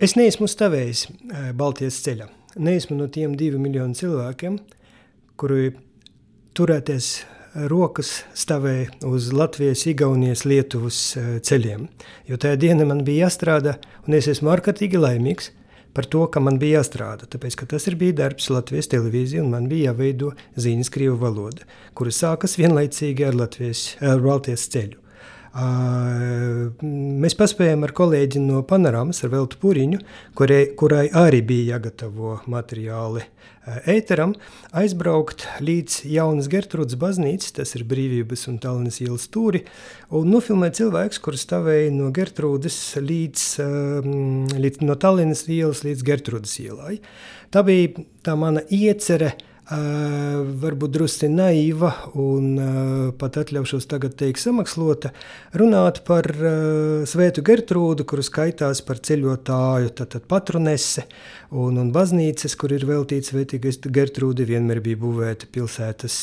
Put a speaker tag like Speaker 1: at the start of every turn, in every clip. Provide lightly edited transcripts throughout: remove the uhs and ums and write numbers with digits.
Speaker 1: Es neesmu stāvējis Baltijas ceļā. Neesmu no tiem 2 miljonu cilvēkiem, kuri turēties rokas stāvēja uz Latvijas, Igaunijas, Lietuvas ceļiem. Jo tajā dienā man bija jāstrādā, un es esmu ārkārtīgi laimīgs par to, ka man bija jāstrādā. Tāpēc, ka tas bija darbs Latvijas televīzija, un man bija jāveido ziņas krievu valoda, kuras sākas vienlaicīgi ar Baltijas ceļu. Mēs paspējām ar kolēģi no Panoramas, ar Veltu Puriņu, kurai arī bija jāgatavo materiāli ēteram, aizbraukt līdz Jaunas Gertrūdas baznīcas, tas ir Brīvības un Tallinas ielas stūri, un nofilmēt cilvēks, kurš stāvēja no Gertrūdas no Tallinas ielas līdz Gertrūdas ielai. Tā bija tā mana iecere, varbūt drusci naiva un pat atļaušos tagad teikt samakslota, runāt par Svētu Gertrūdu, kuru skaitās par ceļotāju, tātad patronese, un baznīcas, kur ir veltīts Svētīgai Gertrūdi, vienmēr bija būvēta pilsētas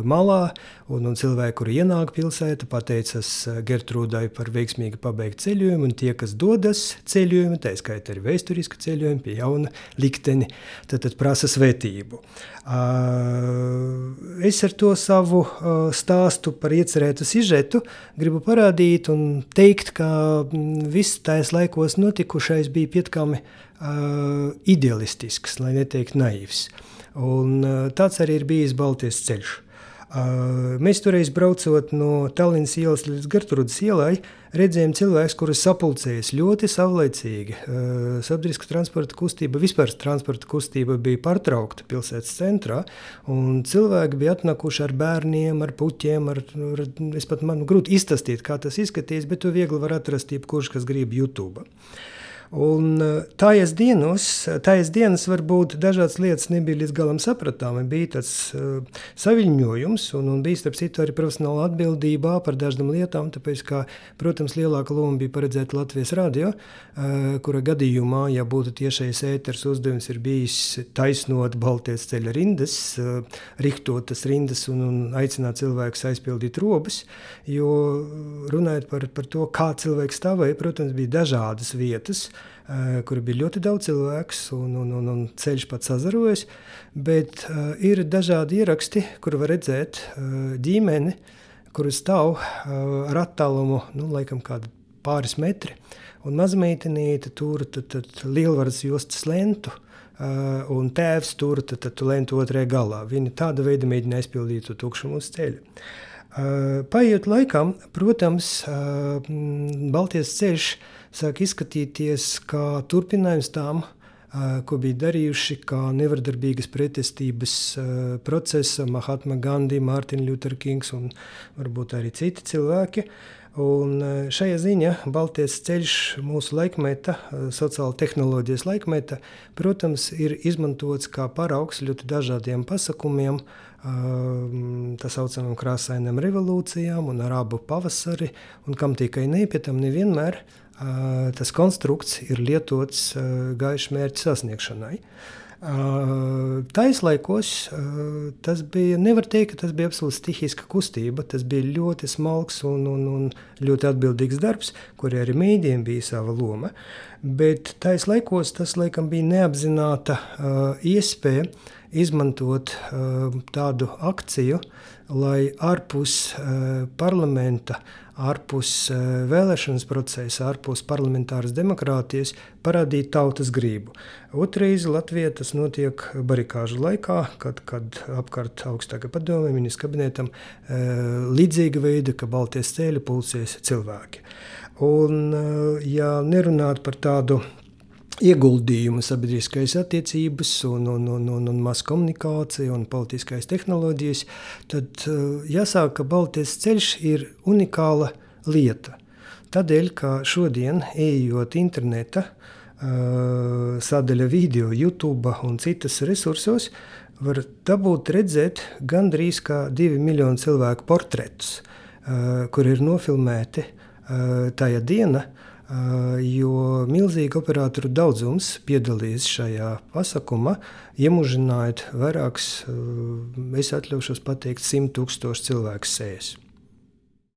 Speaker 1: malā, un cilvēki, kuri ienāk pilsēta, pateicas Gertrūdai par veiksmīgi pabeigt ceļojumu, un tie, kas dodas ceļojumu, tā skaitā arī vēsturiski ceļojumi pie jauna likteni, tad prasa svētību. Es ar to savu stāstu par iecerētu sižetu gribu parādīt un teikt, ka viss tajās laikos notikušais bija pietiekami idealistisks, lai neteikt naivs. Un tāds arī ir bijis Baltijas ceļš. Mēs toreiz braucot no Tallinas ielas līdz Gertrūdas ielai, redzējām cilvēkus, kurus sapulcējas ļoti savlaicīgi. Sabiedriska transporta kustība, vispār transporta kustība bija pārtraukta pilsētas centrā, un cilvēki bija atnākuši ar bērniem, ar puķiem, es pat man grūti izstāstīt, kā tas izskatīs, bet to viegli var atrast jebkurš, kas grib YouTube. Un tājas dienas varbūt dažādas lietas nebija līdz galam sapratāmi, bija tāds saviļņojums un bija starp citu arī profesionāla atbildībā par dažām lietām, tāpēc, ka, protams, lielāka loma bija paredzēta Latvijas radio, kura gadījumā, ja būtu tiešais ēters uzdevums ir bijis taisnot Baltijas ceļa rindas, rihtotas rindas un aicināt cilvēkus aizpildīt robas, jo runājot par to, kā cilvēki stāvēja, protams, bija dažādas vietas, kur bija ļoti daudz cilvēks un ceļš pats sazarojas, bet ir dažādi ieraksti, kur var redzēt ģimeni, kuru stāv ar attālumu, laikam kādu pāris metri, un mazmeitenīte tur lielvaras jostas lentu, un tēvs tur lentu otrajā galā. Viņi tāda veida mēģina aizpildīt to tukšumu uz ceļa. Paiet laikam, protams, Baltijas ceļš sāk izskatīties kā turpinājums tām, ko bija darījuši kā nevardarbīgas pretestības procesa Mahatma Gandhi, Martin Luther Kings un varbūt arī citi cilvēki. Un šajā ziņā Baltijas ceļš mūsu laikmeta, sociāla tehnoloģijas laikmeta, protams, ir izmantots kā paraugs ļoti dažādiem pasākumiem, tā saucamām krāsainām revolūcijām un arābu pavasari, un kam tikai pie tam nevienmēr tas konstrukts ir lietots gaišu mērķu sasniegšanai. Tais laikos tas bija, nevar teikt, ka tas bija absolūti stihiska kustība, tas bija ļoti smalks un ļoti atbildīgs darbs, kur arī mēdījiem bija sava loma, bet tais laikos tas laikam bija neapzināta iespēja izmantot tādu akciju, lai ārpus parlamenta, ārpus vēlēšanas procesa, ārpus parlamentāras demokrātijas parādīt tautas gribu. Otrais Latvijā tas notiek barikāžu laikā, kad apkārt augstākā padome, ministra kabinetam līdzīga veida, ka Baltijas ceļa pulcēs cilvēki. Un, ja nerunāt par tādu ieguldījumu sabiedriskais attiecības un masu komunikācija un politiskais tehnoloģijas, tad jāsāk, ka Baltijas ceļš ir unikāla lieta. Tādēļ, ka šodien, ejot interneta, sadaļa video, YouTube un citas resursos, var dabūt redzēt gandrīz kā 2 miljonu cilvēku portretus, kur ir nofilmēti tajā diena, jo milzīgi operatoru daudzums piedalīs šajā pasākumā, iemužinājot vairākus, es atļaušos pateikt, 100 000 cilvēku sēs.